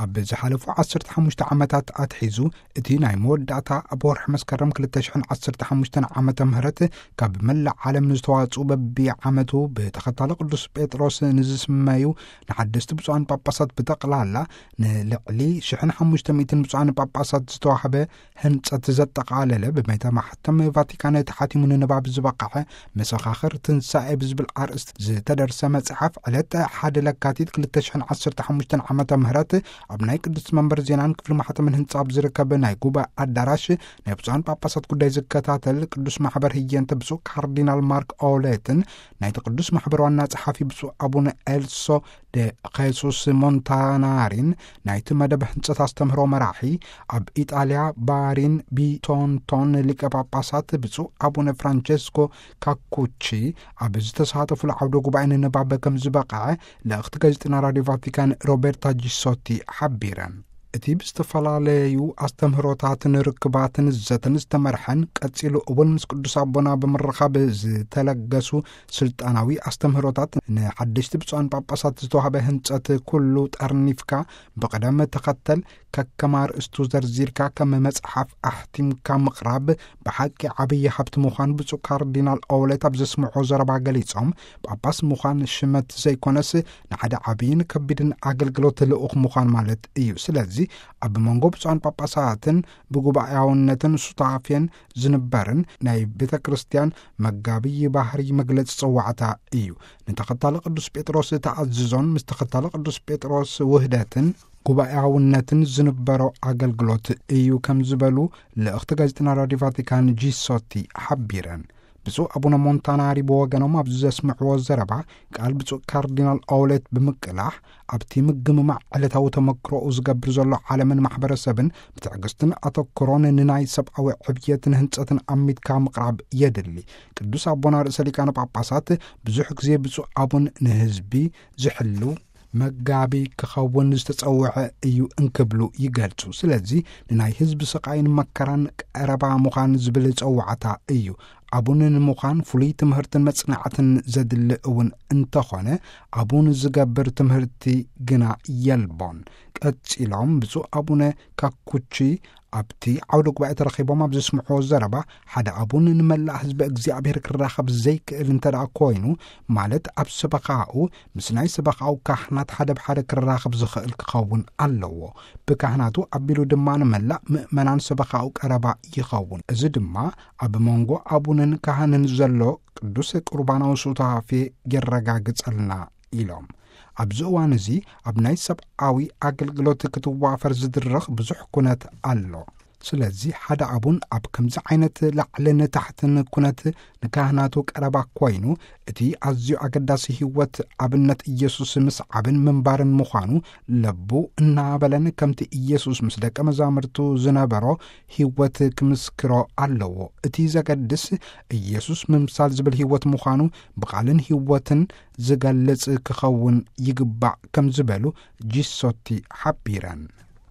ኣብ ዝሓለፉ ዓሰርተ ሓሙሽተ ዓመታት ኣትሒዙ፣ እቲ ናይ መወዳእታ ኣብ ወርሒ መስከረም ክልተ ሽሕን ዓሰርተ ሓሙሽተን ዓመተ ምህረት ካብ መላእ ዓለም ንዝተዋጽኡ በቢዓመቱ ብተኸታሊ ቅዱስ ጴጥሮስ ንዝስመዩ ንሓደስቲ ብፁዓን ጳጳሳት ብጠቕላላ ንልዕሊ ሽሕን ሓሙሽተ ሚእትን ብፁዓን ጳጳሳት ዝተዋህበ ህንጸት ዘጠቓለለ ብቤተ ማሕተም ቫቲካን ተሓቲሙ ንንባብ ዝበቕዐ መሰኻኽር ትንሳኤ ብዝብል ኣርእስት ዝተደርሰ መጽሓፍ ዕለት ሓደ ለካቲት ክልተ ሽሕን ዓሰርተ ሓሙሽተን ዓመተ ምህረት ኣብ ናይ ቅዱስ መንበር ዜናን ክፍሊ ማሕተምን ህንጻ ኣብ ዝርከብ ናይ ጉባኤ ኣዳራሽ ናይ ብፁዓን ጳጳሳት ጉዳይ ዝከታተል ቅዱስ ማሕበር ህየንተ ብፁዕ ካርዲናል ማርክ ኦሌትን ናይቲ ቅዱስ ማሕበር ዋና ጸሓፊ ብፁዕ ኣቡነ ኤልሶ ደ ኸሱስ ሞንታናሪን ናይቲ መደብ ህንጸት ኣስተምህሮ መራሒ ኣብ ኢጣልያ ባሪን ቢቶንቶን ሊቀ ጳጳሳት ብፁዕ ኣቡነ ፍራንቸስኮ ካኩቺ ኣብ ዝተሳተፉሉ ዓውደ ጉባኤ ንንባብ ከም ዝበቕዐ ልእኽቲ ጋዜጠና ራዲዮ ቫቲካን ሮቤርታ ጂሶቲ ሓቢረን። እቲ ብዝተፈላለዩ ኣስተምህሮታትን ርክባትን ዘተን ዝተመርሐን ቀጺሉ እውን ምስ ቅዱስ ኣቦና ብምርኻብ ዝተለገሱ ስልጣናዊ ኣስተምህሮታት ንሓደሽቲ ብፁዓን ጳጳሳት ዝተዋህበ ህንጸት ኩሉ ጠርኒፍካ ብቕደም ተኸተል ከከም ኣርእስቱ ዘርዚርካ ከም መጽሓፍ ኣሕቲምካ ምቕራብ ብሓቂ ዓብዪ ሃብቲ ምዃን ብፁዕ ካርዲናል ኦውለት ኣብ ዘስምዖ ዘረባ ገሊጾም፣ ጳጳስ ምዃን ሽመት ዘይኮነስ ንሓደ ዓብይን ከቢድን ኣገልግሎት ልኡኽ ምዃን ማለት እዩ። ስለዚ ኣብ መንጎ ብፁዓን ጳጳሳትን ብጉባኤያውነትን ሱታፌን ዝንበርን ናይ ቤተ ክርስቲያን መጋቢ ባህሪ መግለጺ ጽዋዕታ እዩ። ንተኸታሊ ቅዱስ ጴጥሮስ ተኣዝዞን ምስ ተኸታሊ ቅዱስ ጴጥሮስ ውህደትን ጉባኤያውነትን ዝንበሮ ኣገልግሎት እዩ ከም ዝበሉ ልእኽቲ ጋዜጠና ራዲዮ ቫቲካን ጂሶቲ ሓቢረን። ብፁዕ ኣቡነ ሞንታናሪ ብወገኖም ኣብዚ ዘስምዕዎ ዘረባ ቃል ብፁዕ ካርዲናል ኦውለት ብምቅላሕ ኣብቲ ምግምማዕ ዕለታዊ ተመክሮኡ ዝገብር ዘሎ ዓለምን ማሕበረሰብን ብትዕግስትን ኣተክሮን ንናይ ሰብኣዊ ዕብየትን ህንጸትን ኣሚትካ ምቕራብ የድሊ። ቅዱስ ኣቦና ርእሰ ሊቃነ ጳጳሳት ብዙሕ ግዜ ብፁዕ ኣቡን ንህዝቢ ዝሕሉ መጋቢ ክኸውን ዝተጸውዐ እዩ እንክብሉ ይገልጹ። ስለዚ ንናይ ህዝቢ ስቓይን መከራን ቀረባ ምዃን ዝብል ጸዋዕታ እዩ። ኣቡን ንምዃን ፍሉይ ትምህርትን መጽናዕትን ዘድሊ እውን እንተኾነ ኣቡን ዝገብር ትምህርቲ ግና የልቦን። ቀጺሎም ብፁዕ ኣቡነ ካኩቺ ኣብቲ ዓውደ ጉባኤ ተረኺቦም ኣብ ዘስምዕዎ ዘረባ ሓደ ኣቡን ንመላእ ህዝቢ እግዚኣብሔር ክራኸብ ዘይክእል እንተ ደኣ ኮይኑ ማለት ኣብ ሰበኻኡ ምስ ናይ ሰበኻኡ ካህናት ሓደ ብሓደ ክራኸብ ዝኽእል ክኸውን ኣለዎ። ብካህናቱ ኣቢሉ ድማ ንመላእ ምእመናን ሰበኻኡ ቀረባ ይኸውን። እዚ ድማ ኣብ መንጎ ኣቡንን ካህንን ዘሎ ቅዱስ ቁርባናዊ ሱታፌ የረጋግጸልና ኢሎም። ኣብዚ እዋን እዚ ኣብ ናይ ሰብኣዊ ኣገልግሎት ክትዋፈር ዝድረኽ ብዙሕ ኩነት ኣሎ። ስለዚ ሓደ ኣቡን ኣብ ከምዚ ዓይነት ላዕልን ታሕትን ኩነት ንካህናቱ ቀረባ ኮይኑ እቲ ኣዝዩ ኣገዳሲ ህይወት ኣብነት ኢየሱስ ምስዓብን ምንባርን ምዃኑ ለቡ እናበለን ከምቲ ኢየሱስ ምስ ደቀ መዛሙርቱ ዝነበሮ ህይወት ክምስክሮ ኣለዎ። እቲ ዘገድስ ኢየሱስ ምምሳል ዝብል ህይወት ምዃኑ ብቓልን ህይወትን ዝገልጽ ክኸውን ይግባእ ከም ዝበሉ ጂሶቲ ሓቢረን።